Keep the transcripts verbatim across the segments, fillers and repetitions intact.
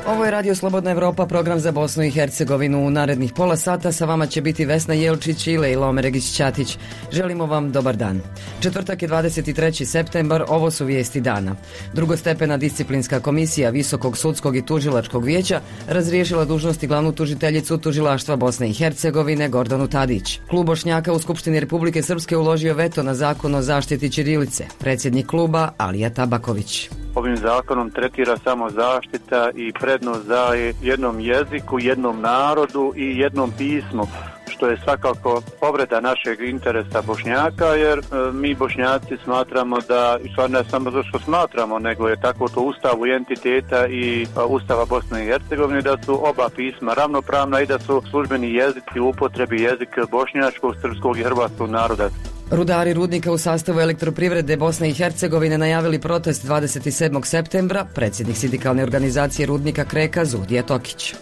Ovo je Radio Slobodna Evropa, program za Bosnu i Hercegovinu. U narednih pola sata sa vama će biti Vesna Jelčić i Lejla Omeregić-Ćatić. Želimo vam dobar dan. Četvrtak je dvadeset treći septembar, ovo su vijesti dana. Drugostepena disciplinska komisija Visokog sudskog i tužilačkog vijeća razriješila dužnosti glavnu tužiteljicu tužilaštva Bosne i Hercegovine Gordanu Tadić. Klub Bošnjaka u Skupštini Republike Srpske uložio veto na zakon o zaštiti ćirilice. Predsjednik kluba Alija Tabaković. Ovim zakonom tretira samo zaštita i prednost daje jednom jeziku, jednom narodu i jednom pismu, što je svakako povreda našeg interesa Bošnjaka, jer e, mi Bošnjaci smatramo da, i stvar ne samo zato što smatramo, nego je tako to Ustavu entiteta i a, Ustava Bosne i Hercegovine, da su oba pisma ravnopravna i da su službeni jezici u upotrebi jezik bošnjačkog, srpskog i hrvatskog naroda. Rudari rudnika u sastavu Elektroprivrede Bosne i Hercegovine najavili protest dvadeset sedmog septembra, predsjednik sindikalne organizacije rudnika Kreka Zudija Tokić.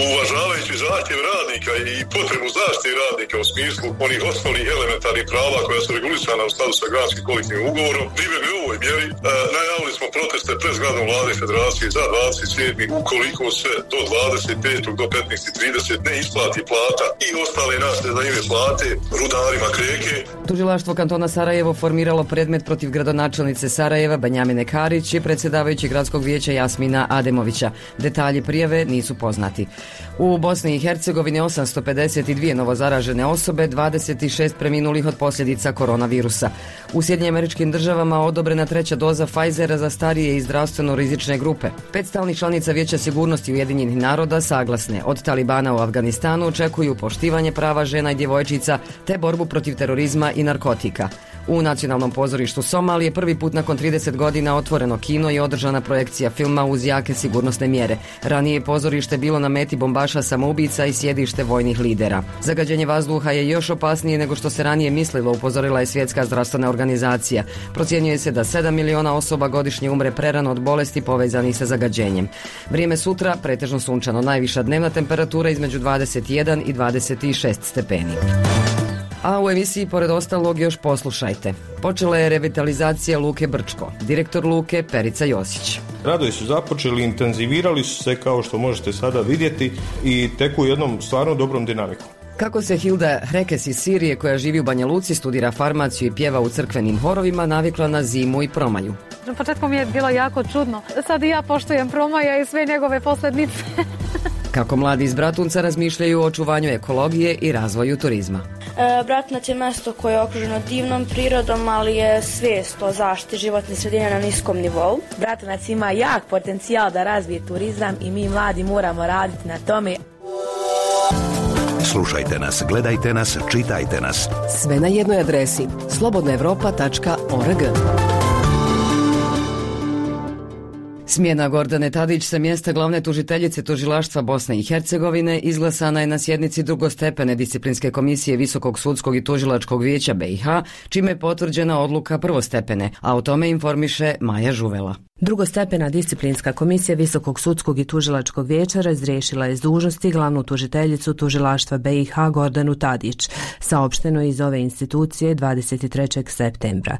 Uvažavajući zahtjev radnika i potrebu zaštite radnika u smislu onih osnovnih elementarnih prava koja su regulisana u skladu sa granskim kolektivnim ugovorom, pribjegli u ovoj mjeri, e, najavili smo proteste pred zgradom vlade federacije za dvadeset sedmi ukoliko se do dvadeset petog do petnaestog trideset ne isplati plata i ostale naslede za ime plate rudarima Kreke. Tužilaštvo kantona Sarajevo formiralo predmet protiv gradonačelnice Sarajeva Banjamine Karić i predsjedavajući gradskog vijeća Jasmina Ademovića. Detalji prijave nisu poznati. U Bosni i Hercegovini osamsto pedeset dvije novozaražene osobe, dvadeset šest preminulih od posljedica koronavirusa. U Sjedinjenim Američkim Državama odobrena treća doza Pfizera za starije i zdravstveno rizične grupe. Pet stalnih članica Vijeća sigurnosti Ujedinjenih naroda saglasne od Talibana u Afganistanu očekuju poštivanje prava žena i djevojčica te borbu protiv terorizma i narkotika. U Nacionalnom pozorištu Somalije prvi put nakon trideset godina otvoreno kino i održana projekcija filma uz jake sigurnosne mjere. Ranije je pozorište bilo na meti bombaša samoubica i sjedište vojnih lidera. Zagađenje vazduha je još opasnije nego što se ranije mislilo, upozorila je Svjetska zdravstvena organizacija. Procjenjuje se da sedam miliona osoba godišnje umre prerano od bolesti povezanih sa zagađenjem. Vrijeme sutra pretežno sunčano, najviša dnevna temperatura između dvadeset jedan i dvadeset šest stepeni. A u emisiji pored ostalog još poslušajte. Počela je revitalizacija Luke Brčko. Direktor Luke Perica Josić. Radovi su započeli, intenzivirali su se kao što možete sada vidjeti i teku jednom stvarno dobrom dinamikom. Kako se Hilda Hrekes iz Sirije, koja živi u Banja Luci, studira farmaciju i pjeva u crkvenim horovima, navikla na zimu i promalju. Na početku mi je bilo jako čudno. Sad i ja poštujem Promaja i sve njegove posljedice. Kako mladi iz Bratunca razmišljaju o očuvanju ekologije i razvoju turizma. E, Bratunac je mjesto koje je okruženo divnom prirodom, ali je svijest o zaštiti životne sredine na niskom nivou. Bratunac ima jak potencijal da razvije turizam i mi mladi moramo raditi na tome. Slušajte nas, gledajte nas, čitajte nas. Sve na jednoj adresi slobodna evropa tačka org. Smjena Gordane Tadić sa mjesta glavne tužiteljice tužilaštva Bosne i Hercegovine izglasana je na sjednici drugostepene disciplinske komisije Visokog sudskog i tužilačkog vijeća B i H, čime je potvrđena odluka prvostepene, a o tome informiše Maja Žuvela. Drugostepena disciplinska komisija Visokog sudskog i tužilačkog vijeća razriješila je s dužnosti glavnu tužiteljicu tužilaštva B i H Gordanu Tadić, saopšteno iz ove institucije dvadeset trećeg septembra.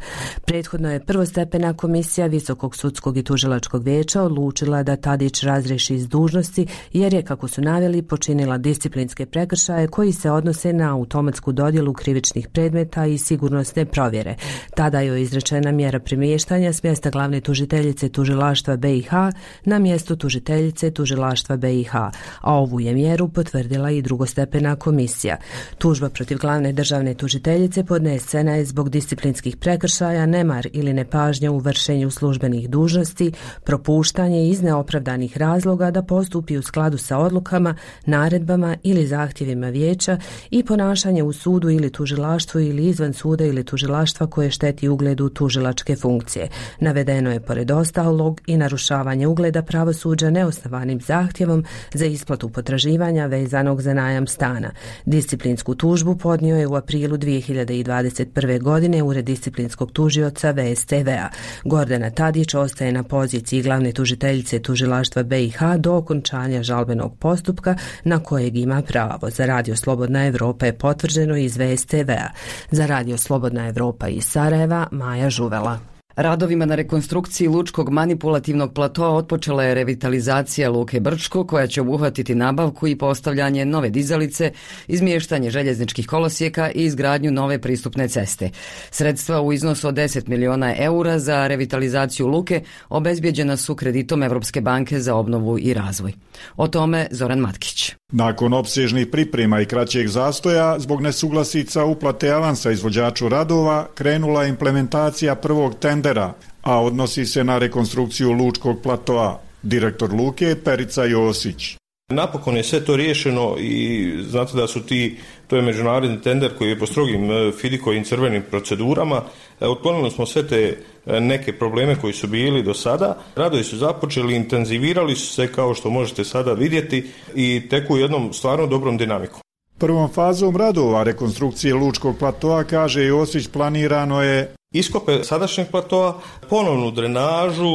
Prethodno je prvostepena komisija Visokog sudskog i tužilačkog vijeća odlučila da Tadić razriješi s dužnosti jer je, kako su naveli, počinila disciplinske prekršaje koji se odnose na automatsku dodjelu krivičnih predmeta i sigurnosne provjere. Tada je izrečena mjera premještanja s mjesta glavne tužiteljice tužilaštva B i H na mjesto tužiteljice tužilaštva B i H, a ovu je mjeru potvrdila i drugostepena komisija. Tužba protiv glavne državne tužiteljice podnesena je zbog disciplinskih prekršaja, nemar ili nepažnja u vršenju službenih dužnosti, propuštanje iz neopravdanih razloga da postupi u skladu sa odlukama, naredbama ili zahtjevima vijeća i ponašanje u sudu ili tužilaštvu ili izvan suda ili tužilaštva koje šteti ugledu tužilačke funkcije. Navedeno je pored ostalog i narušavanje ugleda pravosuđa neosnovanim zahtjevom za isplatu potraživanja vezanog za najam stana. Disciplinsku tužbu podnio je u aprilu dvije hiljade dvadeset prve. godine Ured disciplinskog tužioca V S T V-a. Gordana Tadić ostaje na poziciji glavne javne tužiteljice i tužilaštva B i H do okončanja žalbenog postupka na kojeg ima pravo. Za Radio Slobodna Evropa je potvrđeno iz V S T V-a. Za Radio Slobodna Evropa iz Sarajeva, Maja Žuvela. Radovima na rekonstrukciji lučkog manipulativnog platoa otpočela je revitalizacija Luke Brčko, koja će obuhvatiti nabavku i postavljanje nove dizalice, izmještanje željezničkih kolosijeka i izgradnju nove pristupne ceste. Sredstva u iznosu od deset miliona eura za revitalizaciju luke obezbijeđena su kreditom Evropske banke za obnovu i razvoj. O tome Zoran Matkić. Nakon opsežnih priprema i kraćeg zastoja, zbog nesuglasica uplate avansa izvođaču radova, krenula je implementacija prvog tendera, a odnosi se na rekonstrukciju lučkog platoa. Direktor luke Perica Josić. Napokon je sve to riješeno i znate da su ti, to je međunarodni tender koji je po strogim fidikovim crvenim procedurama. Otklonili smo sve te neke probleme koji su bili do sada. Radovi su započeli, intenzivirali su se kao što možete sada vidjeti i teku jednom stvarno dobrom dinamikom. Prvom fazom radova rekonstrukcije lučkog platoa, kaže Josić, planirano je iskope sadašnjeg platoa, ponovnu drenažu,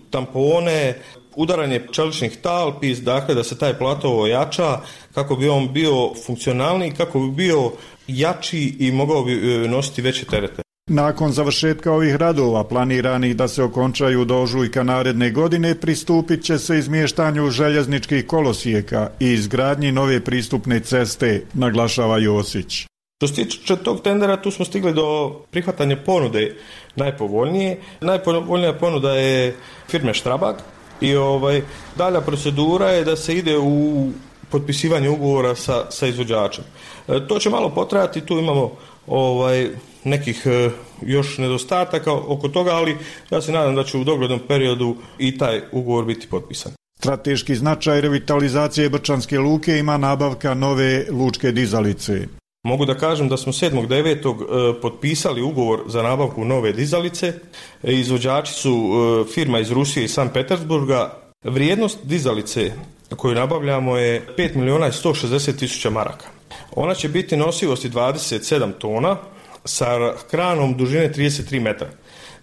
tampone, udaranje čeličnih talpi, dakle da se taj plato ojača kako bi on bio funkcionalniji, kako bi bio jači i mogao bi nositi veće terete. Nakon završetka ovih radova, planiranih da se okončaju do ožujka naredne godine, pristupit će se izmještanju željezničkih kolosijeka i izgradnji nove pristupne ceste, naglašava Josić. Što se tiče tog tendera, tu smo stigli do prihvatanja ponude najpovoljnije. Najpovoljnija ponuda je firme Štrabag i ovaj, dalja procedura je da se ide u potpisivanje ugovora sa, sa izvođačem. E, to će malo potrajati, tu imamo ovaj, nekih e, još nedostataka oko toga, ali ja se nadam da će u doglednom periodu i taj ugovor biti potpisan. Strateški značaj revitalizacije Brčanske luke ima nabavka nove lučke dizalice. Mogu da kažem da smo sedmog devetog potpisali ugovor za nabavku nove dizalice. Izvođači su firma iz Rusije i Sankt Petersburga. Vrijednost dizalice koju nabavljamo je pet miliona sto šezdeset tisuća maraka. Ona će biti nosivosti dvadeset sedam tona sa kranom dužine trideset tri metra.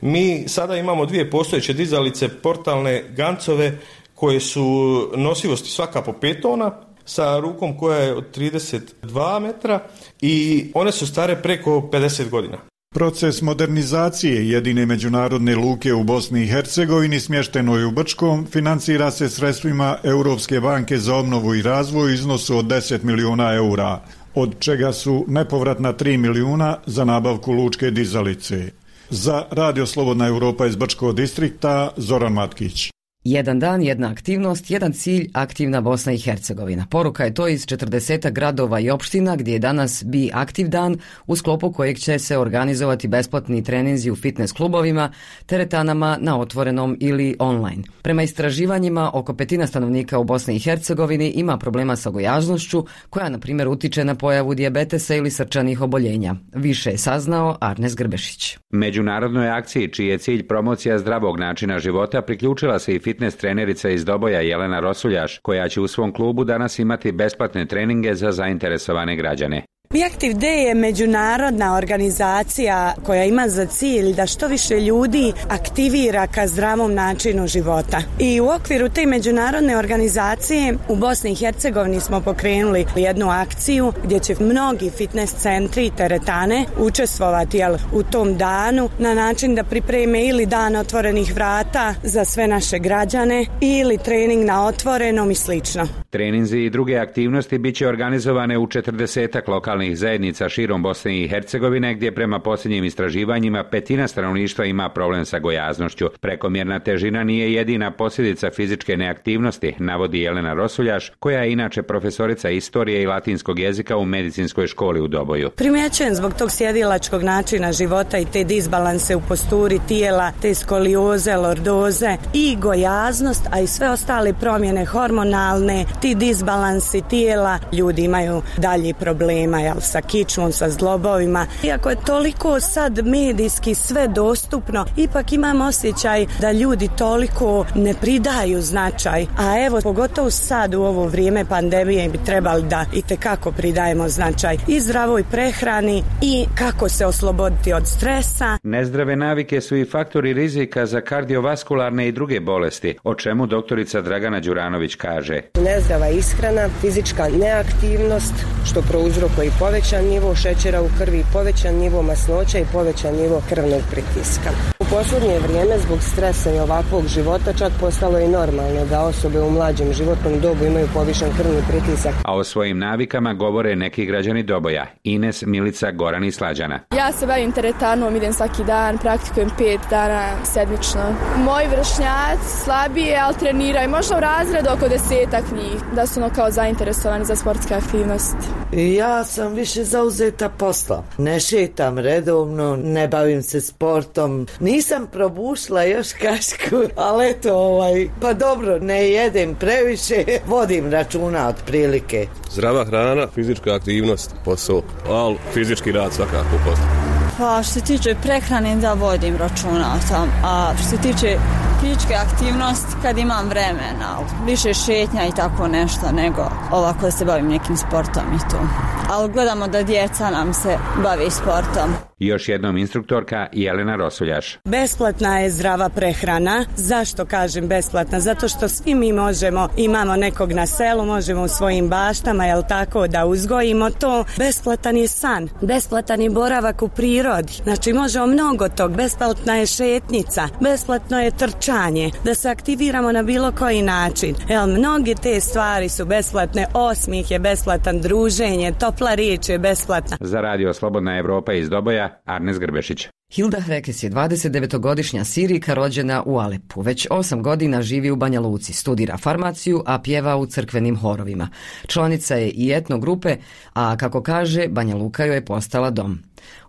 Mi sada imamo dvije postojeće dizalice, portalne gancove, koje su nosivosti svaka po pet tona, sa rukom koja je od trideset dva metra i one su stare preko pedeset godina. Proces modernizacije jedine međunarodne luke u Bosni i Hercegovini smještenoj u Brčkom financira se sredstvima Europske banke za obnovu i razvoj u iznosu od deset miliona eura, od čega su nepovratna tri miliona za nabavku lučke dizalice. Za Radio Slobodna Evropa iz Brčkog distrikta, Zoran Matkić. Jedan dan, jedna aktivnost, jedan cilj, aktivna Bosna i Hercegovina. Poruka je to iz četrdeset gradova i opština gdje je danas Be Aktiv dan, u sklopu kojeg će se organizovati besplatni treninzi u fitness klubovima, teretanama na otvorenom ili online. Prema istraživanjima, oko petina stanovnika u Bosni i Hercegovini ima problema sa gojaznošću, koja na primjer utiče na pojavu dijabetesa ili srčanih oboljenja. Više je saznao Arnes Grbešić. Međunarodnoj akciji, čiji je cilj promocija zdravog načina života, priključila se i fitness trenerica iz Doboja Jelena Rosuljaš, koja će u svom klubu danas imati besplatne treninge za zainteresovane građane. Be Aktiv Day je međunarodna organizacija koja ima za cilj da što više ljudi aktivira ka zdravom načinu života. I u okviru te međunarodne organizacije u Bosni i Hercegovini smo pokrenuli jednu akciju gdje će mnogi fitness centri i teretane učestvovati jel, u tom danu na način da pripreme ili dan otvorenih vrata za sve naše građane ili trening na otvorenom i slično. Treninzi i druge aktivnosti bit će organizovane u četrdesetak lokalnih zajednica širom Bosne i Hercegovine, gdje prema posljednjim istraživanjima petina stanovništva ima problem sa gojaznošću. Prekomjerna težina nije jedina posljedica fizičke neaktivnosti, navodi Jelena Rosuljaš, koja je inače profesorica istorije i latinskog jezika u medicinskoj školi u Doboju. Primjećujem zbog tog sjedilačkog načina života i te disbalanse u posturi tijela, te skolioze, lordoze i gojaznost, a i sve ostale promjene hormonalne, ti disbalansi tijela, ljudi imaju dalje problema jel, sa kičmom, sa zglobovima. Iako je toliko sad medijski sve dostupno, ipak imam osjećaj da ljudi toliko ne pridaju značaj. A evo, pogotovo sad u ovo vrijeme pandemije bi trebali da itekako pridajemo značaj i zdravoj prehrani i kako se osloboditi od stresa. Nezdrave navike su i faktori rizika za kardiovaskularne i druge bolesti, o čemu doktorica Dragana Đuranović kaže. Nezdrava ishrana, fizička neaktivnost, što prouzrokuje i povećan nivo šećera u krvi, povećan nivo masnoća i povećan nivo krvnog pritiska. U posljednje vrijeme zbog stresa i ovakvog života čak postalo je normalno da osobe u mlađem životnom dobu imaju povišen krvni pritisak. A o svojim navikama govore neki građani Doboja, Ines, Milica, Goran i Slađana. Ja se bavim teretanom, idem svaki dan, praktikujem pet dana sedmično. Moji vršnjaci slabije, ali treniraju, možda u razredu oko desetak njih, da su ono kao zainteresovani za sportske aktivnosti. Ja sam više zauzeta posla. Ne šetam redovno, ne bavim se sportom. Nisam probušla još kašku, ali eto, ovaj, pa dobro, ne jedem previše, vodim računa otprilike. Zdrava hrana, fizička aktivnost, posao, ali fizički rad svakako posao. Pa što se tiče prehrane da vodim računa sam, a što se tiče fizičke aktivnosti kad imam vremena, više šetnja i tako nešto nego ovako da se bavim nekim sportom i to. Ali gledamo da djeca nam se bavi sportom. Još jednom instruktorka Jelena Rosuljaš. Besplatna je zdrava prehrana. Zašto kažem besplatna? Zato što svi mi možemo, imamo nekog na selu, možemo u svojim baštama, jel tako, da uzgojimo to. Besplatan je san, besplatan je boravak u prirodi. Znači možemo mnogo tog. Besplatna je šetnica, besplatno je trčanje, da se aktiviramo na bilo koji način. Jel, mnoge te stvari su besplatne, osmih je besplatan, druženje, topla riječ je besplatna. Za radio Slobodna Evropa iz Doboja, Arnes Grbešić. Hilda Hrekes je dvadesetdevetogodišnja Sirijka rođena u Alepu. Već osam godina živi u Banja Luci, studira farmaciju, a pjeva u crkvenim horovima. Članica je i etno grupe, a kako kaže, Banja Luka joj je postala dom.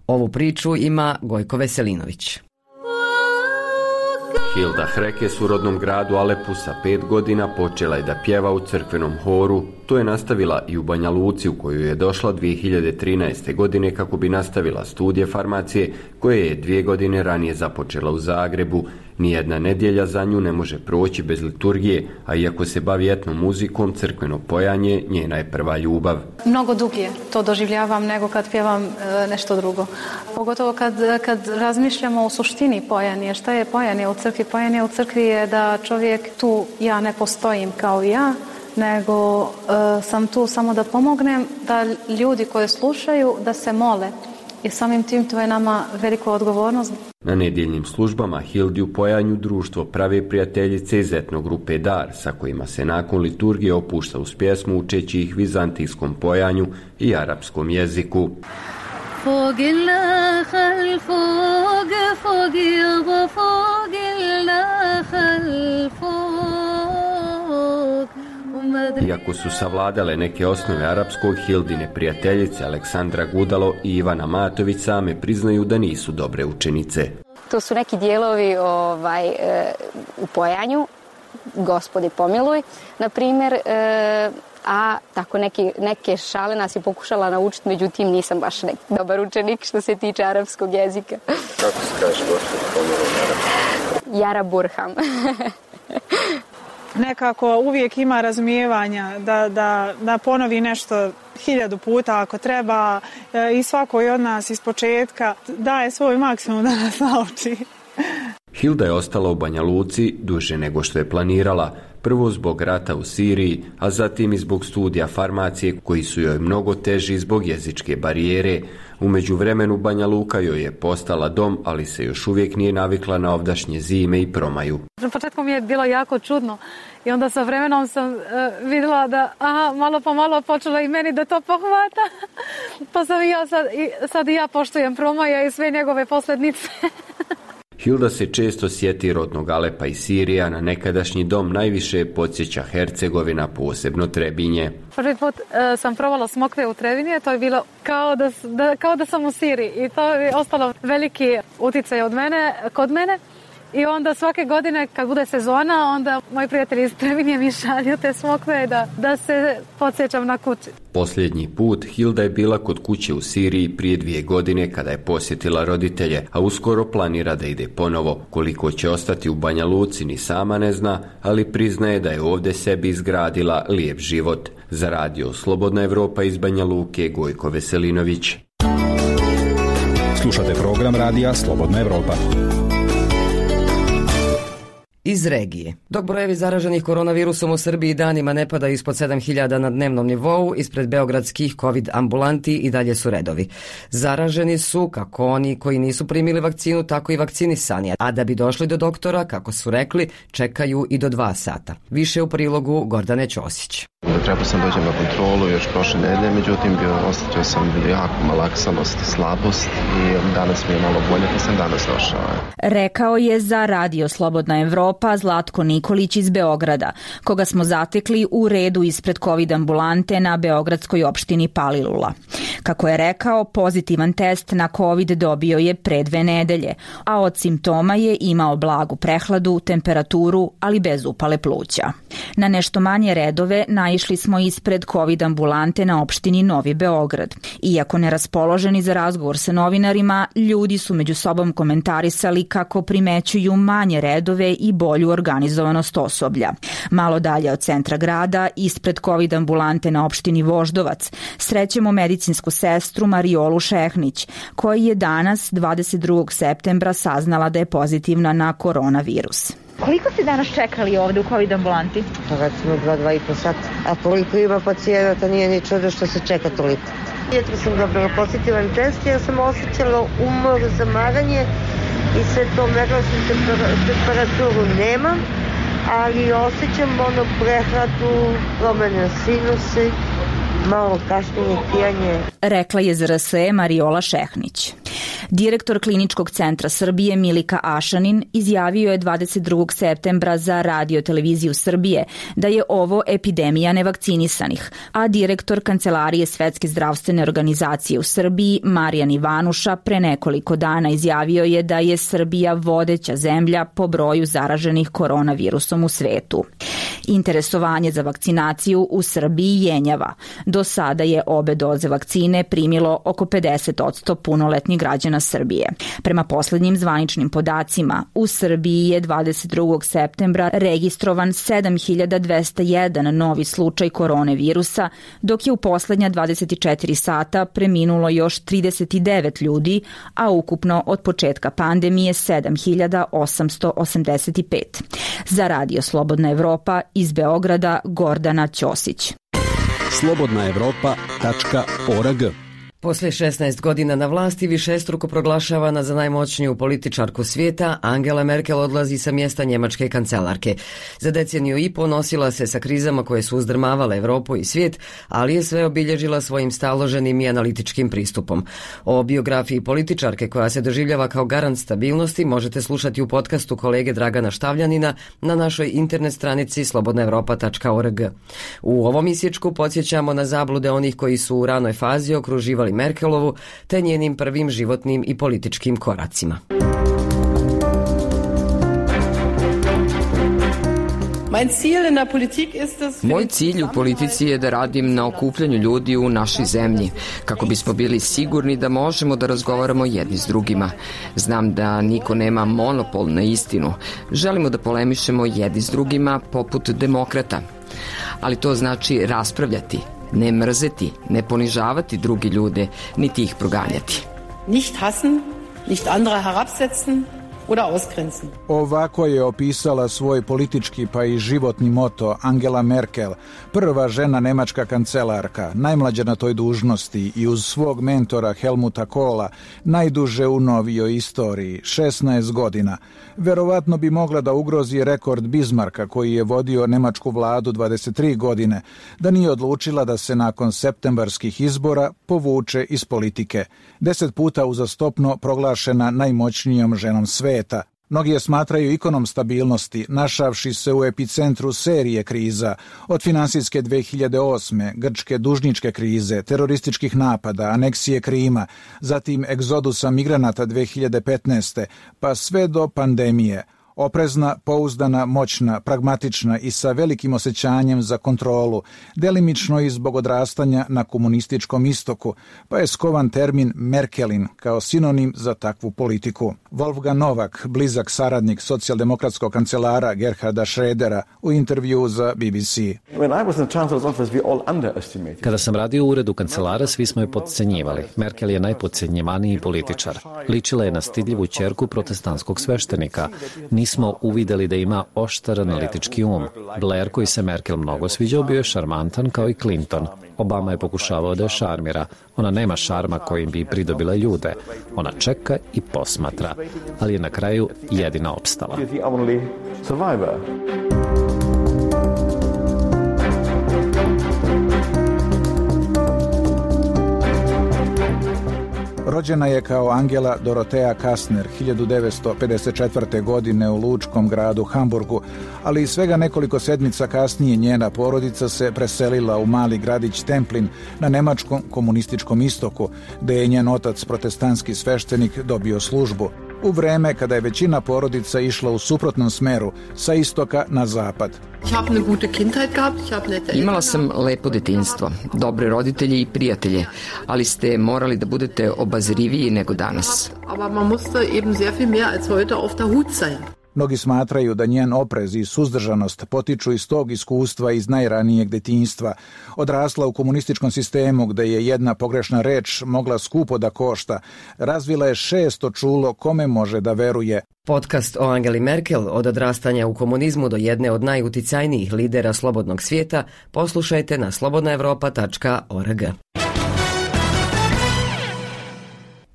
Ovu priču ima Gojko Veselinović. Hilda Hrekes u rodnom gradu Alepu sa pet godina počela je da pjeva u crkvenom horu. To je nastavila i u Banja Luci, u koju je došla dvije hiljade trinaeste. godine kako bi nastavila studije farmacije koje je dvije godine ranije započela u Zagrebu. Nijedna nedjelja za nju ne može proći bez liturgije, a iako se bavi etnom muzikom, crkveno pojanje njena je prva ljubav. Mnogo dublje to doživljavam nego kad pjevam e, nešto drugo. Pogotovo kad, kad razmišljamo o suštini pojanje. Šta je pojanje u crkvi? Pojanje u crkvi je da čovjek tu, ja ne postojim kao ja, nego e, sam tu samo da pomognem, da ljudi koji slušaju, da se mole. I samim tim to je nama veliku odgovornost. Na nedjeljnim službama Hildi u pojanju društvo prave prijateljice iz etno grupe Dar, sa kojima se nakon liturgije opušta uz pjesmu učeći ih vizantijskom pojanju i arapskom jeziku. Iako su savladale neke osnove arapskog, Hildine prijateljice Aleksandra Gudalo i Ivana Matović same priznaju da nisu dobre učenice. To su neki dijelovi ovaj, e, u pojanju, Gospodi pomiluj, na primjer, e, a tako neki, neke šale nas je pokušala naučiti, međutim nisam baš neki dobar učenik što se tiče arapskog jezika. Kako se kaže Gospodi pomiluj na arapskom? Jara Burham. Nekako uvijek ima razumijevanja da, da, da ponovi nešto hiljadu puta ako treba i svako od nas iz početka daje svoj maksimum da nas nauči. Hilda je ostala u Banja Luci duže nego što je planirala. Prvo zbog rata u Siriji, a zatim i zbog studija farmacije koji su joj mnogo teži zbog jezičke barijere. U međuvremenu Banja Luka joj je postala dom, ali se još uvijek nije navikla na ovdašnje zime i promaju. Na početku mi je bilo jako čudno i onda sa vremenom sam uh, vidjela da aha, malo po malo počelo i meni da to pohvata. Pa sam i ja sad, i, sad i ja poštujem Promaja i sve njegove posljednice. Hilda se često sjeti rodnog Alepa i Sirija, na nekadašnji dom najviše podsjeća Hercegovina, posebno Trebinje. Prvi put uh, sam provala smokve u Trebinje, to je bilo kao da, da, kao da sam u Siriji i to je ostalo veliki utjecaj od mene, kod mene. I onda svake godine kad bude sezona, onda moji prijatelji iz Trebinje mi šalju te smokve da, da se podsjećam na kući. Posljednji put Hilda je bila kod kuće u Siriji prije dvije godine kada je posjetila roditelje, a uskoro planira da ide ponovo. Koliko će ostati u Banja Luci ni sama ne zna, ali priznaje da je ovdje sebi izgradila lijep život. Za radio Slobodna Evropa iz Banja Luke, Gojko Veselinović. Slušate program radija Slobodna Evropa. Iz regije. Dok brojevi zaraženih koronavirusom u Srbiji danima ne pada ispod sedam hiljada na dnevnom nivou, ispred beogradskih COVID ambulanti i dalje su redovi. Zaraženi su kako oni koji nisu primili vakcinu, tako i vakcinisani, a da bi došli do doktora, kako su rekli, čekaju i do dva sata. Više u prilogu Gordane Ćosić. Trebao sam dođem na kontrolu još prošle nedelje, međutim bio, osjećao sam jako malaksanost, slabost i danas mi je malo bolje, pa sam danas došao. Rekao je za radio Slobodna Evropa Zlatko Nikolić iz Beograda, koga smo zatekli u redu ispred COVID ambulante na beogradskoj opštini Palilula. Kako je rekao, pozitivan test na COVID dobio je pre dve nedelje, a od simptoma je imao blagu prehladu, temperaturu, ali bez upale pluća. Na nešto manje redove naišli smo ispred COVID ambulante na opštini Novi Beograd. Iako neraspoloženi za razgovor sa novinarima, ljudi su među sobom komentarisali kako primećuju manje redove i bolju organizovanost osoblja. Malo dalje od centra grada, ispred COVID ambulante na opštini Voždovac, srećemo medicinsku sestru Mariolu Šehnić, koja je danas, dvadeset drugog septembra, saznala da je pozitivna na koronavirus. Koliko ste danas čekali ovdje u COVID ambulanti? Pa recimo dva, dva i po sata. A koliko ima pacijenata, nije ni čudo što se čeka toliko. Jutro sam dobila pozitivan test, ja sam osjećala umor, zamaranje i sve to, merila sam temperaturu nemam, ali osjećam ono prehladu, promene sinusi, malo kašljenje, kijanje. Rekla je Z R S E Mariola Šehnić. Direktor Kliničkog centra Srbije Milika Ašanin izjavio je dvadeset drugog septembra za Radio televiziju Srbije da je ovo epidemija nevakcinisanih, a direktor Kancelarije Svetske zdravstvene organizacije u Srbiji Marijan Ivanuša pre nekoliko dana izjavio je da je Srbija vodeća zemlja po broju zaraženih koronavirusom u svetu. Interesovanje za vakcinaciju u Srbiji jenjava. Do sada je obe doze vakcine primilo oko pedeset posto punoletnih građana Srbije. Prema poslednjim zvaničnim podacima, u Srbiji je dvadeset drugog septembra registrovan sedam hiljada dvesta jedan novi slučaj koronavirusa, dok je u poslednja dvadeset četiri sata preminulo još trideset devet ljudi, a ukupno od početka pandemije sedam hiljada osamsto osamdeset pet. Za Radio Slobodna Evropa iz Beograda Gordana Ćosić. slobodna evropa tačka org. Poslije šesnaest godina na vlasti, višestruko proglašavana za najmoćniju političarku svijeta, Angela Merkel odlazi sa mjesta njemačke kancelarke. Za deceniju i po nosila se sa krizama koje su uzdrmavale Europu i svijet, ali je sve obilježila svojim staloženim i analitičkim pristupom. O biografiji političarke koja se doživljava kao garant stabilnosti možete slušati u podcastu kolege Dragana Štavljanina na našoj internet stranici slobodna evropa tačka org. U ovom isječku podsjećamo na zablude onih koji su u ranoj fazi okruživali Merkelovu te njenim prvim životnim i političkim koracima. Moj cilj u politici je da radim na okupljanju ljudi u našoj zemlji, kako bismo bili sigurni da možemo da razgovaramo jedni s drugima. Znam da niko nema monopol na istinu. Želimo da polemišemo jedni s drugima poput demokrata. Ali to znači raspravljati, ne mrzeti, ne ponižavati drugi ljude, niti ih proganjati. Nicht hassen, nicht andere herabsetzen oder ausgrenzen. Ovako je opisala svoj politički pa i životni moto Angela Merkel, prva žena nemačka kancelarka, najmlađa na toj dužnosti i uz svog mentora Helmuta Kohla, najduže u novijoj istoriji, šesnaest godina. Verovatno bi mogla da ugrozi rekord Bismarcka koji je vodio nemačku vladu dvadeset tri godine, da nije odlučila da se nakon septembarskih izbora povuče iz politike. Deset puta uzastopno proglašena najmoćnijom ženom sveta. Mnogi je smatraju ikonom stabilnosti, našavši se u epicentru serije kriza, od finansijske dve hiljade osme, grčke dužničke krize, terorističkih napada, aneksije Krima, zatim egzodusa migranata dve hiljade petnaeste, pa sve do pandemije. Oprezna, pouzdana, moćna, pragmatična i sa velikim osjećanjem za kontrolu, delimično i zbog odrastanja na komunističkom istoku, pa je skovan termin Merkelin kao sinonim za takvu politiku. Wolfgang Novak, blizak saradnik socijaldemokratskog kancelara Gerharda Schrödera, u intervju za B B C. Kada sam radio u uredu kancelara, svi smo je podcenjivali. Merkel je najpodcenjivaniji političar. Ličila je na stidljivu ćerku protestantskog sveštenika. Nismo uvideli da ima oštar analitički um. Blair, koji se Merkel mnogo sviđao, bio je šarmantan kao i Clinton. Obama je pokušavao da je šarmira. Ona nema šarma kojim bi pridobila ljude. Ona čeka i posmatra, ali je na kraju jedina opstala. Rođena je kao Angela Dorotea Kastner hiljadu devetsto pedeset četvrte. godine u lučkom gradu Hamburgu, ali i svega nekoliko sedmica kasnije njena porodica se preselila u mali gradić Templin na nemačkom komunističkom istoku, gde je njen otac, protestantski sveštenik, dobio službu. U vreme kada je većina porodica išla u suprotnom smeru, sa istoka na zapad. Imala sam lepo detinjstvo, dobre roditelje i prijatelje, ali ste morali da budete obazriviji nego danas. Mnogi smatraju da njen oprez i suzdržanost potiču iz tog iskustva iz najranijeg detinjstva. Odrasla u komunističkom sistemu gde je jedna pogrešna reč mogla skupo da košta. Razvila je šesto čulo kome može da veruje. Podcast o Angeli Merkel, od odrastanja u komunizmu do jedne od najuticajnijih lidera slobodnog svijeta, poslušajte na slobodna evropa tačka org.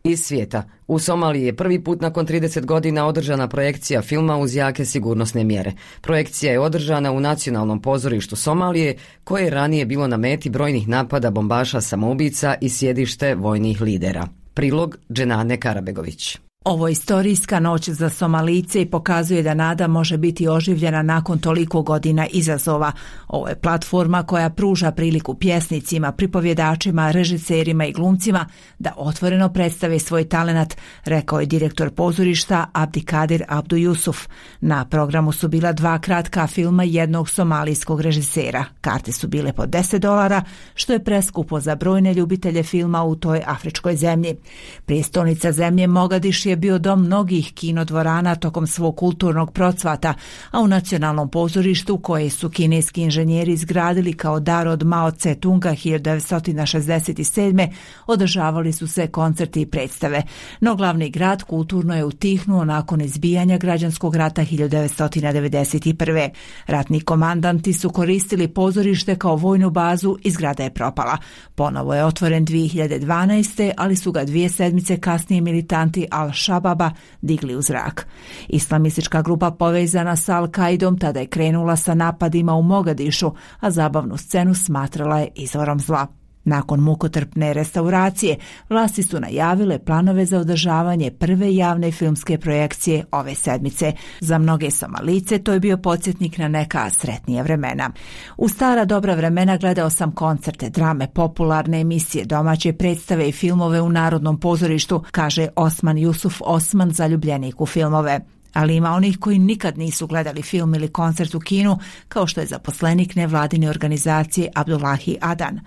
Iz svijeta. U Somaliji je prvi put nakon trideset godina održana projekcija filma uz jake sigurnosne mjere. Projekcija je održana u Nacionalnom pozorištu Somalije, koje je ranije bilo na meti brojnih napada bombaša samoubica i sjedište vojnih lidera. Prilog Dženane Karabegović. Ovo je istorijska noć za Somalijce i pokazuje da nada može biti oživljena nakon toliko godina izazova. Ovo je platforma koja pruža priliku pjesnicima, pripovjedačima, režiserima i glumcima da otvoreno predstave svoj talenat, rekao je direktor pozorišta Abdikadir Abdu Jusuf. Na programu su bila dva kratka filma jednog somalijskog režisera. Karte su bile po deset dolara, što je preskupo za brojne ljubitelje filma u toj afričkoj zemlji. Prijestolnica zemlje Mogadiš je bio dom mnogih kinodvorana tokom svog kulturnog procvata, a u Nacionalnom pozorištu, koje su kineski inženjeri izgradili kao dar od Mao Tse-tunga hiljadu devetsto šezdeset sedme. održavali su se koncerti i predstave. No glavni grad kulturno je utihnuo nakon izbijanja građanskog rata hiljadu devetsto devedeset prve. Ratni komandanti su koristili pozorište kao vojnu bazu i zgrada je propala. Ponovo je otvoren dvije hiljade dvanaeste. ali su ga dvije sedmice kasnije militanti Al-Shababa digli u zrak. Islamistička grupa povezana sa Al-Kaidom tada je krenula sa napadima u Mogadišu, a zabavnu scenu smatrala je izvorom zla. Nakon mukotrpne restauracije, vlasti su najavile planove za održavanje prve javne filmske projekcije ove sedmice. Za mnoge Somalice to je bio podsjetnik na neka sretnija vremena. U stara dobra vremena gledao sam koncerte, drame, popularne emisije, domaće predstave i filmove u Narodnom pozorištu, kaže Osman Jusuf Osman, zaljubljenik u filmove. Ali ima onih koji nikad nisu gledali film ili koncert u kinu, kao što je zaposlenik nevladine organizacije Abdullahi Adan.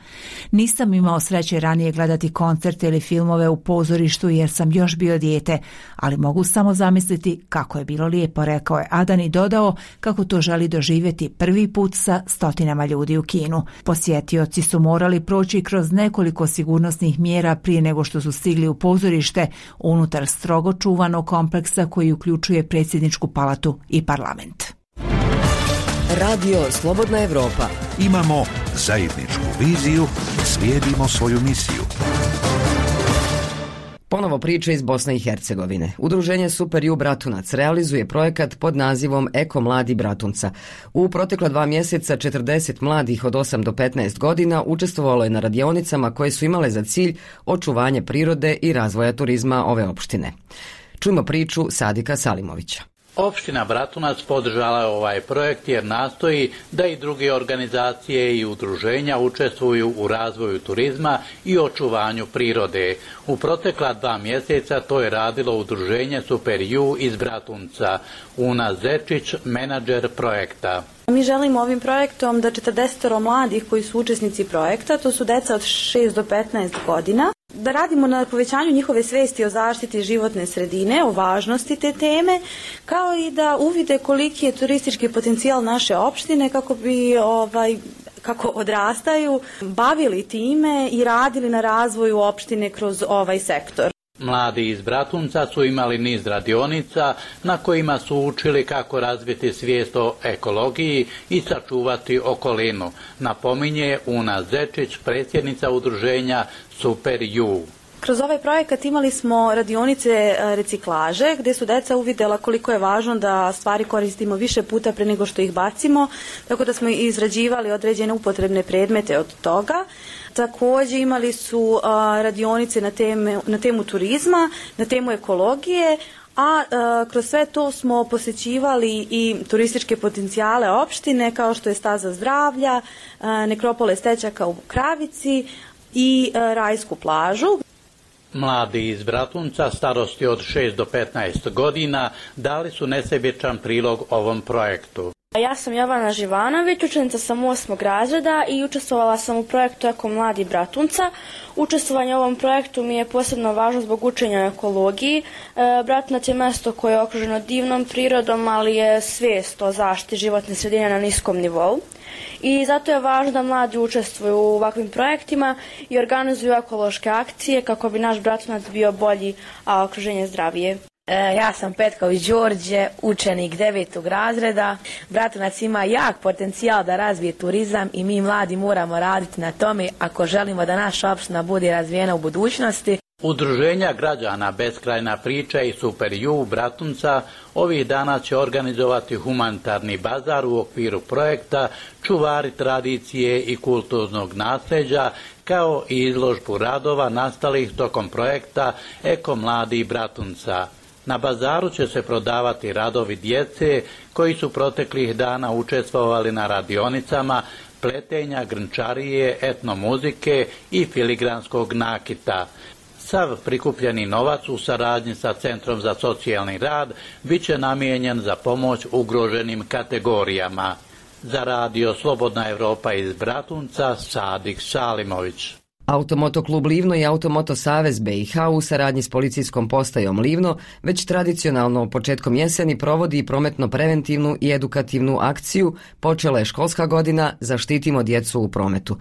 Nisam imao sreće ranije gledati koncerte ili filmove u pozorištu jer sam još bio dijete, ali mogu samo zamisliti kako je bilo lijepo, rekao je Adan i dodao kako to želi doživjeti prvi put sa stotinama ljudi u kinu. Posjetioci su morali proći kroz nekoliko sigurnosnih mjera prije nego što su stigli u pozorište unutar strogo čuvanog kompleksa koji uključuje predsjedničku palatu i parlament. Radio Slobodna Evropa. Imamo zajedničku viziju, slijedimo svoju misiju. Ponovo priče iz Bosne i Hercegovine. Udruženje Super U Bratunac realizuje projekat pod nazivom Eko mladi Bratunca. U protekla dva mjeseca četrdeset mladih od osam do petnaest godina učestvovalo je na radionicama koje su imale za cilj očuvanje prirode i razvoja turizma ove opštine. Čujmo priču Sadika Salimovića. Opština Bratunac podržala je ovaj projekt jer nastoji da i druge organizacije i udruženja učestvuju u razvoju turizma i očuvanju prirode. U protekla dva mjeseca to je radilo udruženje Super U iz Bratunca. Una Zečić, menadžer projekta. Mi želimo ovim projektom da četrdeset mladih koji su učesnici projekta, to su deca od šest do petnaest godina, da radimo na povećanju njihove svesti o zaštiti životne sredine, o važnosti te teme, kao i da uvide koliki je turistički potencijal naše opštine kako bi ovaj kako odrastaju, bavili time i radili na razvoju opštine kroz ovaj sektor. Mladi iz Bratunca su imali niz radionica na kojima su učili kako razviti svijest o ekologiji i sačuvati okolinu, napominje Una Zečić, predsjednica udruženja Super U. Kroz ovaj projekat imali smo radionice reciklaže gdje su deca uvidjela koliko je važno da stvari koristimo više puta pre nego što ih bacimo, tako da smo izrađivali određene upotrebne predmete od toga. Također imali su a, radionice na, teme, na temu turizma, na temu ekologije, a, a kroz sve to smo posjećivali i turističke potencijale opštine kao što je Staza zdravlja, a, nekropole Stećaka u Kravici i a, Rajsku plažu. Mladi iz Bratunca starosti od šest do petnaest godina dali su nesebičan prilog ovom projektu. Ja sam Jovana Živanović, učenica sam osmog razreda i učestvovala sam u projektu Eko mladi Bratunca. Učestvovanje u ovom projektu mi je posebno važno zbog učenja o ekologiji. Bratunac je mjesto koje je okruženo divnom prirodom, ali je svijest o zaštiti životne sredine na niskom nivou. I zato je važno da mladi učestvuju u ovakvim projektima i organizuju ekološke akcije kako bi naš Bratunac bio bolji, a okruženje zdravije. E, ja sam Petković Đorđe, učenik devetog razreda. Bratunac ima jak potencijal da razvije turizam i mi mladi moramo raditi na tome ako želimo da naša opština bude razvijena u budućnosti. Udruženja građana Beskrajna priča i Super U Bratunca ovih dana će organizovati humanitarni bazar u okviru projekta Čuvari tradicije i kulturnog nasljeđa, kao i izložbu radova nastalih tokom projekta Eko mladi Bratunca. Na bazaru će se prodavati radovi djece koji su proteklih dana učestvovali na radionicama pletenja, grnčarije, etnomuzike i filigranskog nakita. Sav prikupljeni novac u saradnji sa Centrom za socijalni rad bit će namijenjen za pomoć ugroženim kategorijama. Za radio Slobodna Evropa iz Bratunca, Sadik Salimović. Automoto klub Livno i Automoto Savez B i H u saradnji s policijskom postajom Livno već tradicionalno početkom jeseni provodi prometno-preventivnu i edukativnu akciju. Počela je školska godina, zaštitimo djecu u prometu.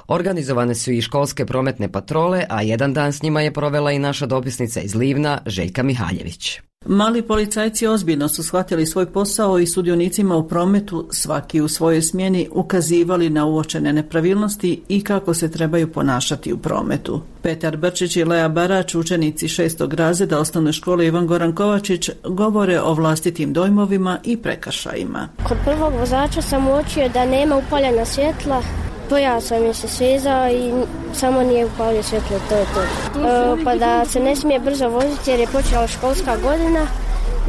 Organizovane su i školske prometne patrole, a jedan dan s njima je provela i naša dopisnica iz Livna, Željka Mihaljević. Mali policajci ozbiljno su shvatili svoj posao i sudionicima u prometu, svaki u svojoj smjeni, ukazivali na uočene nepravilnosti i kako se trebaju ponašati u prometu. Petar Brčić i Lea Barač, učenici šestog razreda osnovne škole Ivan Goran Kovačić, govore o vlastitim dojmovima i prekršajima. Kod prvog vozača sam uočio da nema upaljena svjetla. Pojasao mi se svezao i samo nije upalio svjetlo, to je to. E, pa da se ne smije brzo voziti jer je počela školska godina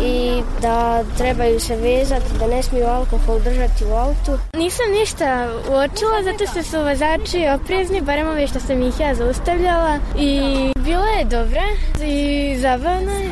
i da trebaju se vezati, da ne smiju alkohol držati u autu. Nisam ništa uočila zato što su vozači oprezni, barem ove što sam ih ja zaustavljala i bilo je dobro i zabavno je.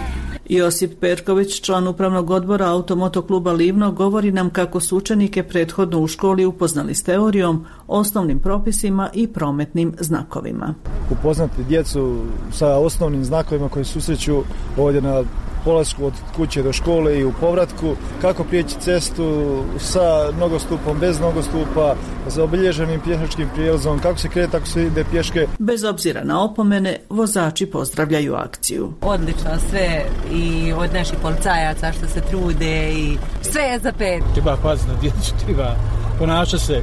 Josip Perković, član upravnog odbora Automoto kluba Livno, govori nam kako su učenike prethodno u školi upoznali s teorijom, osnovnim propisima i prometnim znakovima. Upoznati djecu sa osnovnim znakovima koji susreću ovdje na polasku od kuće do škole i u povratku, kako prijeći cestu sa nogostupom, bez nogostupa, za obilježenim pješačkim prijelazom, kako se kreta ako se ide pješke. Bez obzira na opomene, vozači pozdravljaju akciju. Odlično sve i od naših policajaca što se trude i sve je za pet. Treba paziti na djecu, treba ponašati se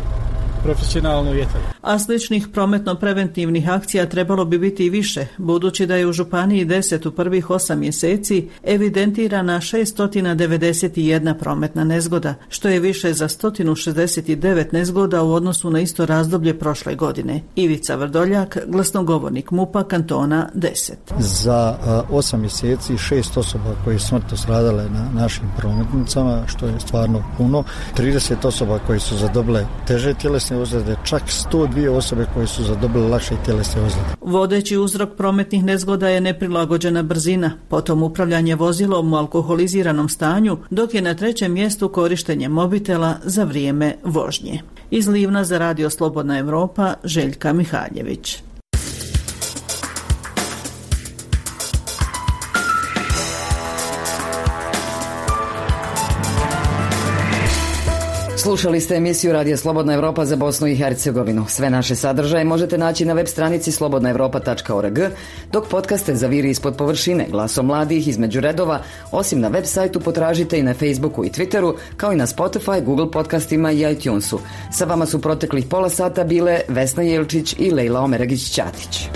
profesionalno i eto. A sličnih prometno-preventivnih akcija trebalo bi biti i više, budući da je u Županiji deset u prvih osam mjeseci evidentirana šesto devedeset jedna prometna nezgoda, što je više za sto šezdeset devet nezgoda u odnosu na isto razdoblje prošle godine. Ivica Vrdoljak, glasnogovornik MUP-a kantona deset. Za osam mjeseci šest osoba koje su smrtno stradale na našim prometnicama, što je stvarno puno, trideset osoba koje su zadobile teže tjelesne ozljede, čak sto dvije osobe koje su zadobile lakše tjelesne ozljede. Vodeći uzrok prometnih nezgoda je neprilagođena brzina, potom upravljanje vozilom u alkoholiziranom stanju, dok je na trećem mjestu korištenje mobitela za vrijeme vožnje. Iz Livna za Radio Slobodna Evropa, Željka Mihaljević. Slušali ste emisiju Radija Slobodna Evropa za Bosnu i Hercegovinu. Sve naše sadržaje možete naći na web stranici slobodna evropa tačka org, dok podcaste za Viri ispod površine, Glasom mladih, Između redova, osim na web sajtu potražite i na Facebooku i Twitteru, kao i na Spotify, Google podcastima i iTunesu. Sa vama su proteklih pola sata bile Vesna Jelčić i Lejla Omeragić-Ćatić.